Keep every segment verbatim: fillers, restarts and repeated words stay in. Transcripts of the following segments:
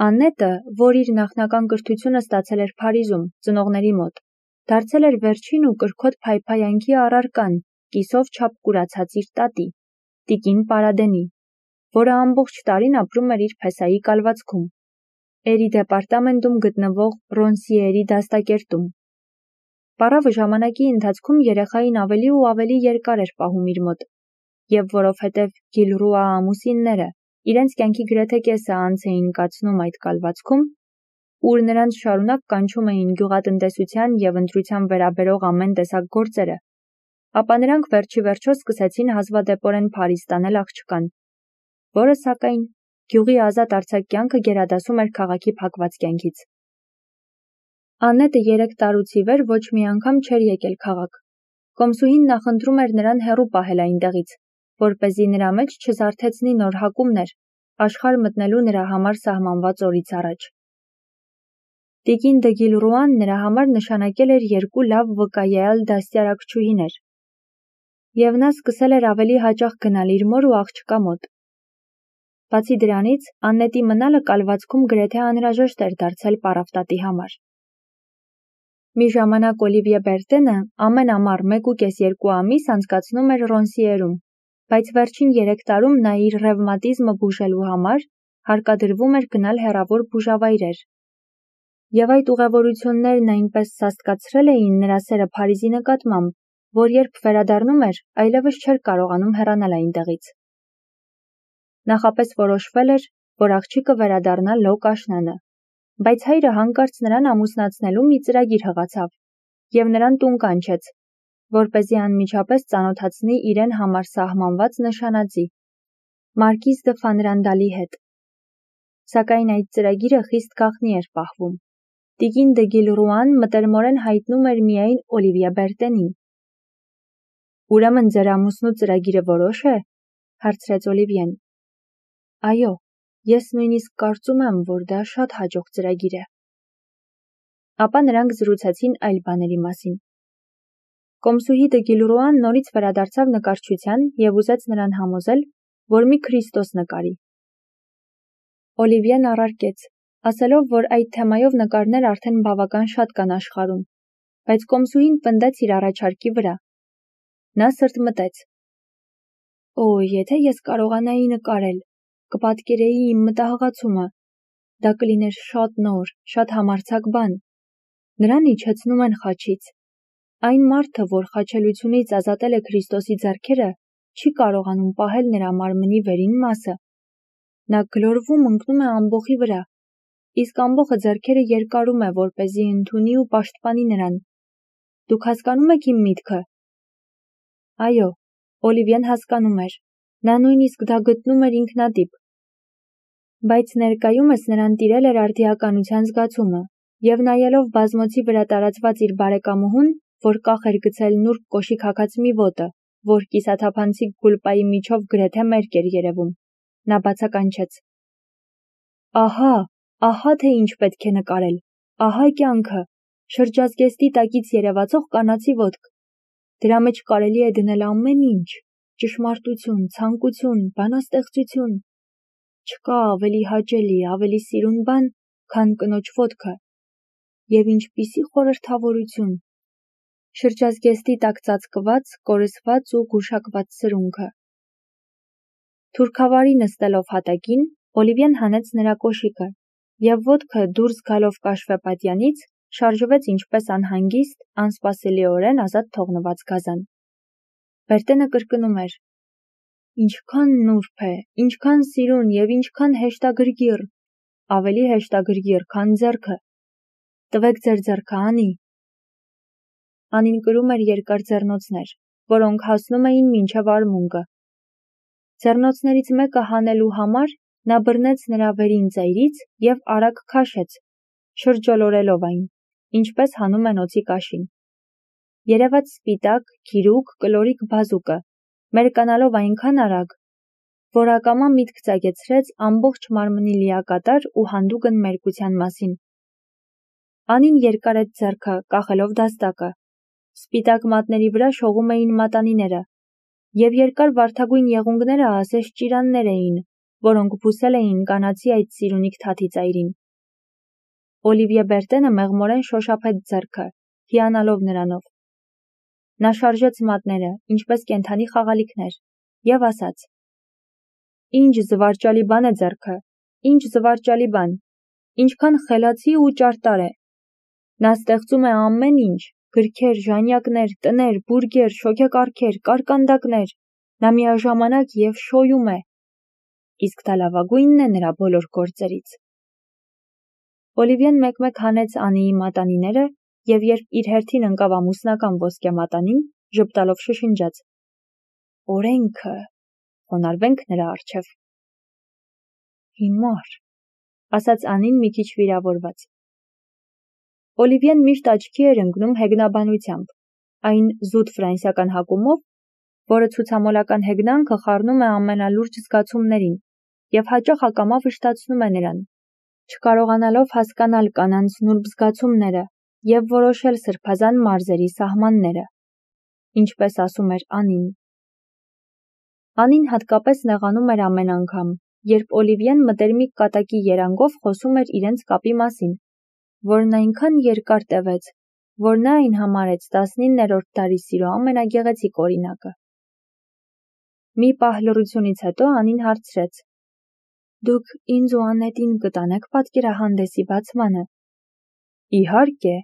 Աննետը, որ իր նախնական կրթությունը ստացել էր Փարիզում, ծնողների մոտ, դարձել էր վերջին ու կրքոտ փայփայանքի առարկան, կիսով չափ կուրացած իր տատի, տիկին Պարադենի, որը ամբողջ տարին ապրում էր իր փեսայի կալվածքում, Էրի դեպարտամենտում գտնվող Ռոնսիերի դաստակերտում։ Պարավը ժամանակի ընթացքում երեխային ավելի ու ավելի երկար էր պահում իր մոտ, և որովհետև Գիլրուա ամուսինները իրենց կյանքի գրեթե կեսը անց էին կացնում այդ կալվածքում, ուր նրանց շարունակ կանչում էին գյուղատնտեսության և ընտրության վերաբերող ամեն տեսակ գործերը, ապա նրանք վերջիվերջո սկսեցին հազվադեպորեն Փարիզ տանել աղջկան, որը, սակայն, գյուղի ազատ արձակ կյանքը գերադասում էր քաղաքի փակված կյանքից։ Աննետը երեք տարուց ի վեր ոչ մի անգամ չէր եկել քաղաք։ Կոմսուհին նախընտրում էր նրան հեռու պահել այնտեղից, որպեսզի նրա մեջ չզարթեցնի նոր հակումներ, աշխարհ մտնելու նրա համար սահմանված օրից առաջ։ Տիկին դը Գիլրուան նրա համար նշանակել էր երկու լավ վկայեալ դաստիարակչուհիներ, և նա սկսել էր ավելի հաճախ գնալ իր մոր ու աղջկա մոտ։ Բացի դրանից, Աննետի մնալը կալվածքում գրեթե անհրաժեշտ էր դարձել պարավտատի համար։ Մի ժամանակ Օլիվիե Բերտենը ամեն ամառ մեկ ու կես երկու ամիս անցկացնում էր Ռոնսիերում, բայց վերջին երեք տարում նա իր ռևմատիզմը բուժելու համար հարկադրվում էր գնալ հեռավոր բուժավայրեր։ Եվ այդ ուղևորություններն այնպես սաստկացրել էին նրա սերը Փարիզի նկատմամբ, որ երբ վերադառնում էր, այլևս չէր կարողանում հեռանալ այնտեղից։ Նախապես որոշվել էր, որ աղջիկը վերադառնա լոկ աշնանը, բայց հայրը հանկարծ նրան ամուսնացնելու մի ծրագիր հղացավ և նրան տուն կանչեց, որպեսզի անմիջապես ծանոթացնի իրեն համար սահմանված նշանածի՝ Մարկիզ դը Ֆանրանդալի հետ։ Սակայն այդ ծրագիրը խիստ գաղտնի էր պահվում։ Տիկին դը Գիլրուան մտերմորեն հայտնում էր միայն Օլիվիե Բերտենին։ «Ուրեմն ձեր ամուսնու ծրագիրը որոշ է», հարցրեց Օլիվիեն։ «Այո, ես նույնիսկ կարծում եմ, որ դա շատ հաջող ծրագիր է»։ Ապա նրանք զրուցեցին այլ բաների մասին։ Կոմսուհի դը Գիլրուան նորից վերադարձավ նկարչության և ուզեց նրան համոզել, որ մի Քրիստոս նկարի։ Օլիվիեն առարկեց, ասելով, որ այդ թեմայով նկարներ արդեն բավական շատ կան աշխարհում, բայց կոմսուհին պնդեց իր առաջարկի վրա։ Նա սրտմտեց. «Օ, եթե ես կարողանայի նկարել, կպատկերեի իմ մտահղացումը, դա կլիներ շատ նոր, շատ համարձակ բան։ Նրան իջեցնում են խաչից։ Այն մարդը, որ խաչելությունից ազատել է Քրիստոսի ձեռքերը, չի կարողանում պահել նրա մարմնի վերին մասը։ Նա գլորվում ընկնում է ամբոխի վրա, իսկ ամբոխը ձեռքերը երկարում է, որպեսզի ընդունի ու պաշտպանի նրան։ Դուք հասկանո՞ւմ եք իմ միտքը»։ Այո, Օլիվիեն հասկանում էր, նա նույնիսկ դա գտնում էր ինքնատիպ։ Բայց ներկայումս նրան տիրել էր արդիականության զգացումը, և նայելով բազմոցի վրա տարածված իր բարեկամուհուն, որ կախ էր գցել նուրբ կոշիկ հագած մի ոտը, որ կիսաթափանցիկ գուլպայի միջով գրեթե մերկ էր երևում, նա բացականչեց. «Ահա, ահա թե ինչ պետք է նկարել, ահա կյանքը, շրջազգեստի տակից երևացող կանացի ոտք։ Դրա մեջ կարելի է դնել ամեն ինչ, ճշմարտություն, ցանկություն, բանաստեղծություն։ Չկա ավելի հաճելի, ավելի սիրուն բան, քան կնոջ ոտքը։ Եվ ինչպիսի խորհրդավորություն։ Շրջազգեստի տակ ծածկված, կորսված ու գուշակված սրունքը»։ Թուրքավարի նստելով հատակին, Օլիվիեն հանեց նրա կոշիկը, և ոտքը դուրս գալով կաշվեպատյանից, շարժվեց ինչպես անհանգիստ, անսպասելիորեն ազատ թողնված գազան։ Բերտենը կրկնում էր. «Ինչքան նուրբ է, ինչքան սիրուն և ինչքան հեշտագրգիռ, ավելի հեշտագրգիռ, քան ձեռքը։ Տվեք ձեր ձեռքը, Անի»։ Անին կրում էր երկար ձեռնոցներ, որոնք հասնում էին մինչև արմունկը։ Ձեռնոցներից մեկը հանելու համար նա բռնեց նրա վերին ծայրից և արագ քաշեց, շրջոլորելով այն, ինչպես հանում են օձի կաշին։ Երևաց սպիտակ, գիրուկ, կլորիկ բազուկը, մերկանալով այնքան արագ, որ ակամա միտք ծագեցրեց ամբողջ մարմնի լիակատար ու հանդուգն մերկության մասին։ Անին երկարեց ձեռքը, կախելով դաստակը։ Սպիտակ մատների վրա շողում էին մատանիները, և երկար վարդագույն եղունգները ասես ճիրաններ էին, որոնք բուսել էին կանացի այդ սիրունիկ թաթի ծայրին։ Օլիվիե Բերտենը մեղմորեն շոշափեց ձեռքը, հիանալով նրանով։ Նա շարժեց մատները, ինչպես կենդանի խաղալիքներ, և ասաց. «Ինչ զվարճալի բան է ձեռքը, ինչ զվարճալի բան, ինչքան խելացի ու ճարտար է։ Նա ստեղծում է ամեն ինչ, գրքեր, ժանյակներ, տներ, բուրգեր, շոգեկարգեր, կարկանդակներ, նա միաժամանակ և շոյում է։ Իսկ դա լավագույնն է նրա բոլոր գործերից»։ Օլիվիեն մեկ-մեկ հանեց Անիի մատանիները և երբ իր հերթին ընկավ ամուսնական ոսկե մատանին, ժպտալով շշնջաց. «Օրենքը, խոնարհվենք նրա առջև»։ «Հիմար», ասաց Անին մի քիչ վիրավորված։ Օլիվիեն միշտ աչքի էր ընկնում հեգնաբանությամբ, այն զուտ ֆրանսիական հակումով, որը ցուցամոլական հեգնանքը խառնում է ամենալուրջ զգացումներին և հաճախ ակամա վշտացնում է նրան, չկարողանալով հասկանալ կանանց նուրբ զգացումները և որոշել սրբազան մարզերի սահմանները, ինչպես ասում էր Անին։ Անին հատկապես նեղանում էր ամեն անգամ, երբ Օլիվիեն մտերմիկ կատակի երանգով խոսում էր իրենց կապի մասին, որն այնքան երկար տևեց, որ նա այն համարեց տասնիններորդ դարի սիրո ամենագեղեցիկ օրինակը։ Մի պահ լռությունից հետո Անին հարցրեց. «Դուք ինձ ու Անետին կտանե՞ք պատկերահանդեսի բացմանը»։ «Իհարկե»։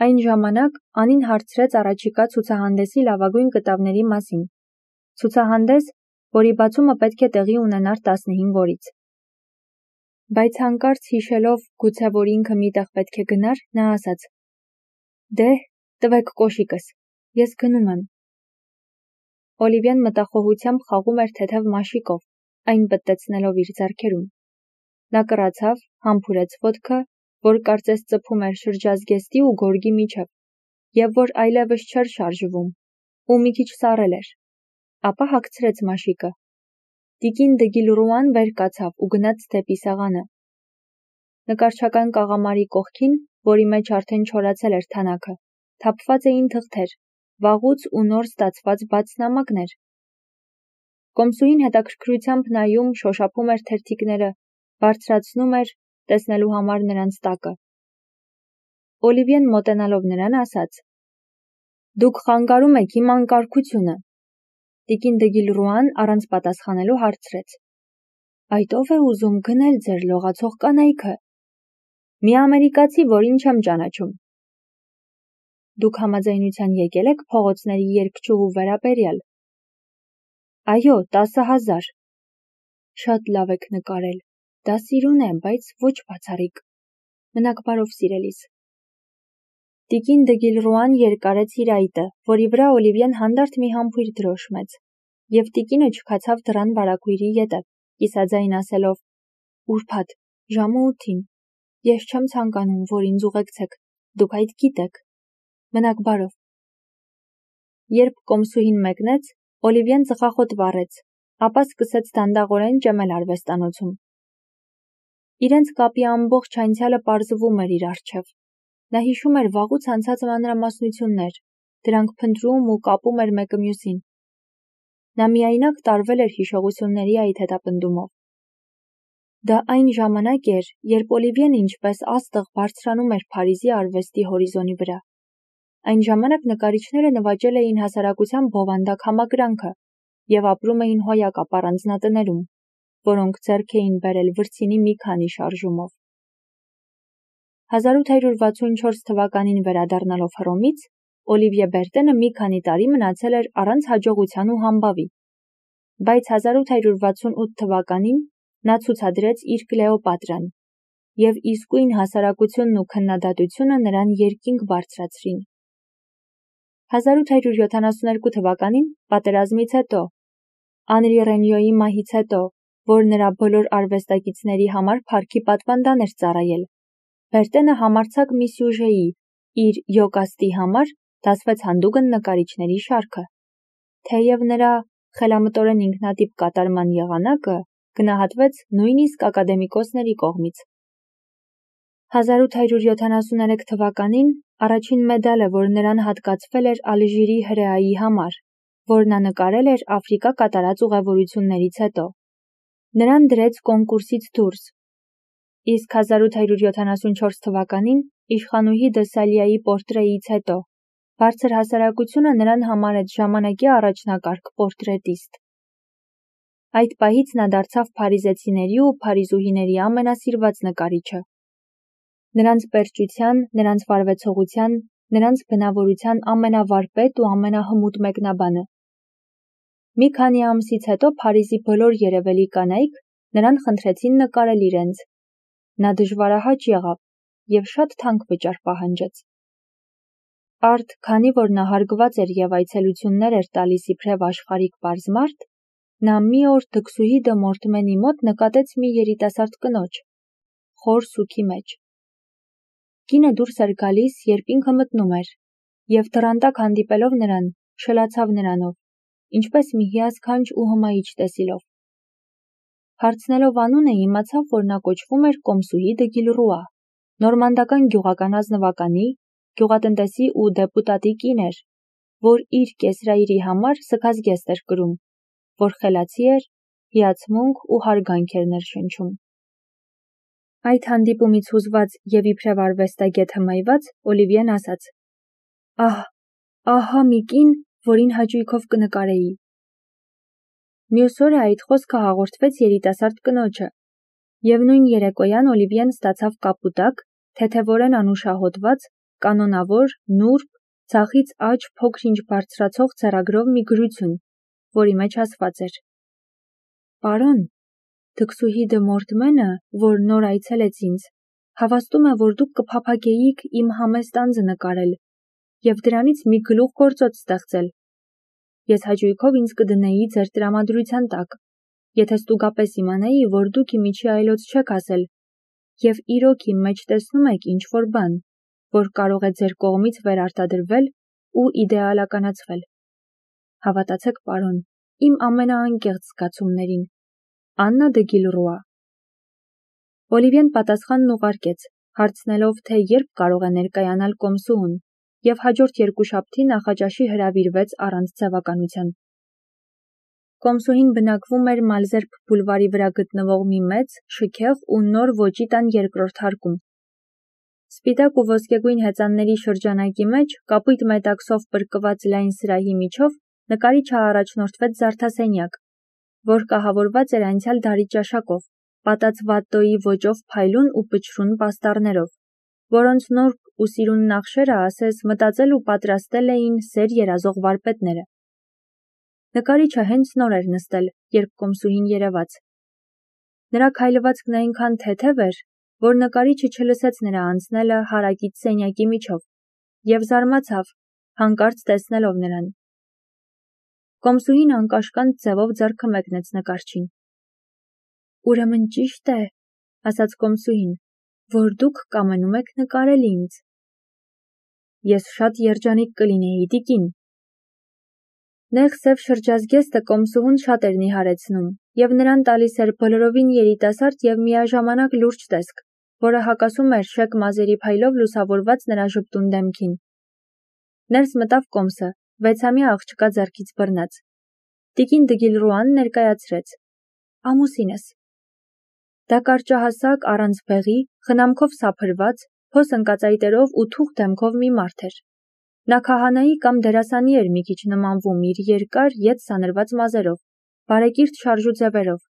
Այն ժամանակ Անին հարցրեց առաջիկա ցուցահանդեսի լավագույն կտավների մասին, ցուցահանդես, որի բացումը պետք է տեղի ունենար տասնհինգ օրից։ Բայց հանկարծ հիշելով, գուցե որ ինքը մի տեղ պետք է գնար, նա ասաց. «Դե, տվեք կոշիկս, ես գնում եմ»։ Օլիվիեն մտախոհությամբ խաղում էր թեթև մաշիկով, այն պտտեցնելով իր ձեռքերում։ Նա կռացավ, համբուրեց ոտքը, որ կարծես ծփում էր շրջազգեստի ու գորգի միջև, և որ այլևս չէր շարժվում, ու մի քիչ սառել էր, ապա հագցրեց մաշիկը։ Տիկին դը Գիլռուան վեր կացավ ու գնաց դեպի սեղանը։ Նկարչական կաղամարի կողքին, որի մեջ արդեն չորացել էր թանաքը, թափված էին թղթեր, վաղուց ու նոր ստացված բաց նամակներ։ Կոմսուհին հետաքրքրությամբ նայում, շոշափում էր թերթիկները, բարձրացնում էր, տեսնելու համար նրանց տակը։ Օլիվիեն մոտենալով նրան ասաց. «Դուք խանգարում եք իմ անկարգությունը»։ Տիկին դը Գիլռուան առանց պատասխանելու հարցրեց. «Այդ ո՞վ է ուզում գնել ձեր լողացող կանայքը»։ «Մի ամերիկացի, որին չեմ ճանաչում»։ «Դուք համաձայնության եկել եք փողոցների երգչուհու վերաբերյալ»։ «Այո, տասը հազար»։ «Շատ լավ եք նկարել, դա սիրուն է, բայց ոչ բացառիկ։ Մնաք բարով, սիրելիս»։ Տիկին դը Գիլռուան երկարեց իր այտը, որի վրա Օլիվիեն հանդարտ մի համբույր դրոշմեց, և տիկինը չքացավ դռան վարագույրի ետը, կիսաձայն ասելով. «Ուրբաթ, ժամը ութին, ես չեմ ցանկանում, որ ինձ ուղեկցեք, դուք այդ գիտեք։ Մնաք բարով»։ Երբ կոմսուհին մեկնեց, Օլիվիեն ծխախոտ վառեց, ապա սկսեց դանդաղորեն ճմել արվեստանոցում։ Իրենց կապի ամբողջ անցյալը պարզվում էր իր առջև։ Նա հիշում էր վաղուց անցած մանրամասնություններ, դրանք փնտրում ու կապում էր մեկը մյուսին։ Նա միայնակ տարվել էր հիշողությունների այդ հետապնդումով։ Դա այն ժամանակ էր, երբ Օլիվիեն ինչպես աստղ բարձրանում էր Փարիզի արվեստի հորիզոնի վրա։ Այն ժամանակ նկարիչները նվաճել էին հասարակության բովանդակ համակրանքը և ապրում էին հոյակապ առանձնատներում, որոնք ձեռք էին բերել վրձինի մի քանի շարժումով։ հազար ութ հարյուր վաթսունչորս թվականին վերադառնալով Հռոմից, Օլիվիե Բերտենը մի քանի տարի մնացել էր առանց հաջողության ու համբավի։ Բայց հազար ութ հարյուր վաթսունութ թվականին նա ցուցադրեց իր Կլեոպատրան, և իսկույն հասարակությունն ու քննադատությունը նրան երկինք բարձրացրին։ հազար ութ հարյուր յոթանասունհինգ թվականին, պատերազմից հետո, Անրի Ռենյոյի մահից հետո, որ նրա բոլոր արվեստագետների համար փառքի պատվանդան էր ծառայել, Բերտենը համարձակ մի սյուժեի՝ իր Յոկաստի համար, դասվեց հանդուգն նկարիչների շարքը, թեև նրա խելամտորեն ինքնատիպ կատարման եղանակը գնահատվեց նույնիսկ ակադեմիկոսների կողմից։ հազար ութ հարյուր յոթանասուներեք թվականին առաջին մեդալը, որ նրան հատկացվել էր Ալժիրի հրեայի համար, որ նա նկարել էր Աֆրիկա կատարած ուղևորություններից հետո, Նրան դրեց կոնկուրսից դուրս, իսկ հազար ութ հարյուր յոթանասունչորս թվականին իշխանուհի Դեսալիայի պորտրեից հետո բարձր հասարակությունը նրան համարեց ժամանակի առաջնակարգ պորտրետիստ։ Այդ պահից նա դարձավ փարիզեցիների ու փարիզուհիների ամենասիրված նկարիչը։ Նրանց պերճության, նրանց վարվեցողության, նրանց բնավորության ամենավարպետ ու ամենահմուտ մեկնաբանը։ Մի քանի ամսից հետո Փարիզի բոլոր երևելի կանայք նրան խնդրեցին նկարել իրենց։ Նա դժվարահաճ եղավ և շատ թանկ վճար պահանջեց։ Արդ, քանի որ նա հարգված էր և այցելություններ էր տալիս իբրև աշխարհիկ պարզ մարդ, նա մի օր դքսուհի դը Մորտմենի մոտ նկատեց մի երիտասարդ կնոջ, խոր սուգի մեջ։ Կինը դուրս էր գալիս, երբ ինքը մտնում էր, և դռան տակ հանդիպելով նրան, շլացավ նրանով, ինչպես մի հիասքանչ ու հմայիչ տեսիլով։ Հարցնելով անունը, իմացավ, որ նա կոչվում էր Կոմսուհի դը Գիլռուա, նորմանդական գյուղական ազնվականի, գյուղատնտեսի ու դեպուտատի կին էր, որ իր կեսրայրի համար սգազգեստ էր կրում, որ խելացի էր, հիացմունք ու հարգանք էր ներշնչում։ Այդ հանդիպումից հուզված և իբրև արվեստագետ հմայված, Օլիվիեն ասաց. «Ահ, ահա մի կին, որին հաճույքով կնկարեի»։ Մյուս օրը այդ խոսքը հաղորդվեց երիտասարդ կնոջը, և նույն երեկոյան Օլիվիեն ստացավ կապուտակ, թեթևորեն անուշահոտված, կանոնավոր, նուրբ, ձախից աջ փոքր-ինչ բարձրացող ձեռագրով մի գրություն, որի մեջ ասված էր. «Պարոն, դքսուհի դը Մորտմենը, որ նոր այցելեց ինձ, հավաստում է, որ դուք կփափագեիք իմ համեստ անձը նկարել և դրանից մի գլուխգործոց ստեղծել։ Ես հաճույքով ինձ կդնեի ձեր տրամադրության տակ, եթե ստուգապես իմանայի, որ դուք ի միջի այլոց չեք ասել և իրոք իմ մեջ տեսնում եք ինչ-որ բան, որ կարող է ձեր կողմից վերարտադրվել ու իդեալականացվել։ Հավատացեք, պարոն, իմ ամենաանկեղծ զգացումներին, Աննա դը Գիլռուա»։ Օլիվիեն պատասխանն ուղարկեց, հարցնելով, թե երբ կարող է ներկայանալ Կոմսուհուն, և հաջորդ երկուշաբթի նախաճաշի հրավիրվեց առանց ձևականության։ Կոմսուհին բնակվում էր Մալզերբ բուլվարի վրա գտնվող մի մեծ, շքեղ ու նոր ոճի տան երկրորդ հարկում։ Սպիտակ ու ոսկեգույն հեծանների շրջանակի մեջ, կապույտ մետաքսով պրկված լայն սրահի միջով, նկարիչը առաջնորդվեց զարդասենյակ, որ կահավորված էր անցյալ դարի ճաշակով, պատած վատտոյի ոճով փայլուն ու պչրուն պաստառներով, որոնց նուրբ ու սիրուն նախշերը ասես մտածել ու պատրաստել էին սեր երազող վարպետները։ Նկարիչը հենց նոր էր նստել, երբ Կոմսուհին երևաց։ Նրա քայլվածքն այնքան թեթև էր, որ նկարիչը չլսեց նրա անցնելը հարակից սենյակի միջով, և զարմացավ, հանկարծ տեսնելով նրան։ Կոմսուհին անկաշկանդ ձևով ձեռքը մեկնեց նկարչին։ «Ուրեմն ճիշտ է, — ասաց Կոմսուհին, — որ դուք կամենում եք նկարել ինձ»։ «Ես շատ երջանիկ կլինեի, տիկին»։ Նեղ սև շրջազգեստը Կոմսուհուն շատ էր նիհարեցնում և նրան տալիս էր բոլորովին երիտասարդ և միաժամանակ լուրջ տեսք, որը հակասում էր շեկ մազերի փայլով լուսավորված նրա ժպտուն դեմքին։ Ներս մտավ Կոմսը, վեցամյա աղջկա ձեռքից բռնած։ Տիկին դը Գիլռուան ներկայացրեց. «Ամուսինս»։ Դա կարճահասակ, առանց բեղի, խնամքով սափրված, փոս ընկածայտերով ու թուխ դեմքով մի մարդ էր։ Նա քահանայի կամ դերասանի էր մի քիչ նմանվում իր երկար, ետ սանրված մազերով, բարեկիրթ շարժու ձևերով,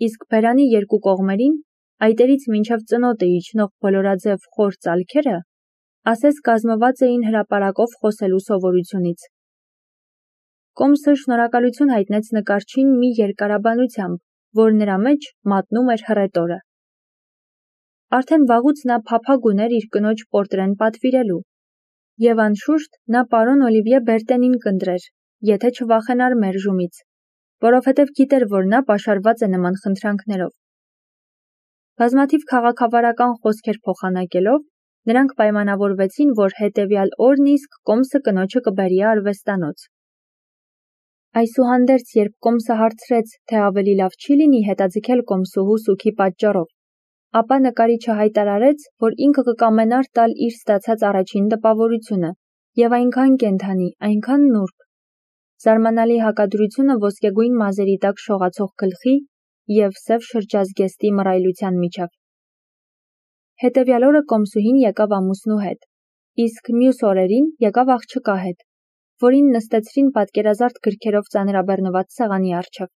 իսկ բերանի երկու կողմերին, այտերից մինչև ծնոտը իջնող բոլորաձև խոր ծալքերը, ասես կազմված էին հրապարակով խոսելու սովորությունից։ Կոմսը շնորհակալություն հայտնեց նկարչին մի երկարաբանությամբ, որ նրա մեջ մատնում էր հռետորը։ Արդեն վաղուց նա փափագ ուներ իր կնոջ պորտրեն պատվիրելու, և անշուշտ նա պարոն Օլիվիե Բերտենին կընտրեր, եթե չվախենար մերժումից, որովհետև գիտեր, որ նա պաշարված է նման խնդրանքներով։ Բազմաթիվ քաղաքավարական խոսքեր փոխանակելով, նրանք պայմանավորվեցին, որ հետևյալ օրն իսկ Կոմսը կնոջը կբերի արվեստանոց։ Այսուհանդերձ, երբ Կոմսը հարցրեց, թե ավելի լավ չի լինի հետաձգել Կոմսուհու սուգի պատճառով, ապա նկարիչը հայտարարեց, որ ինքը կկամենար տալ իր ստացած առաջին տպավորությունը, և այնքան կենդանի, այնքան նուրբ։ Զարմանալի հակադրությունը ոսկեգույն մազերի տակ շողացող գլխի, և սև շրջազգեստի մռայլության միջև։ Հետևյալ օրը կոմսուհին եկավ ամուսնու հետ, իսկ մյուս օրերին եկավ աղջկա հետ, որին նստեցրին պատկերազարդ գրքերով ծանրաբեռնված սեղանի առջև։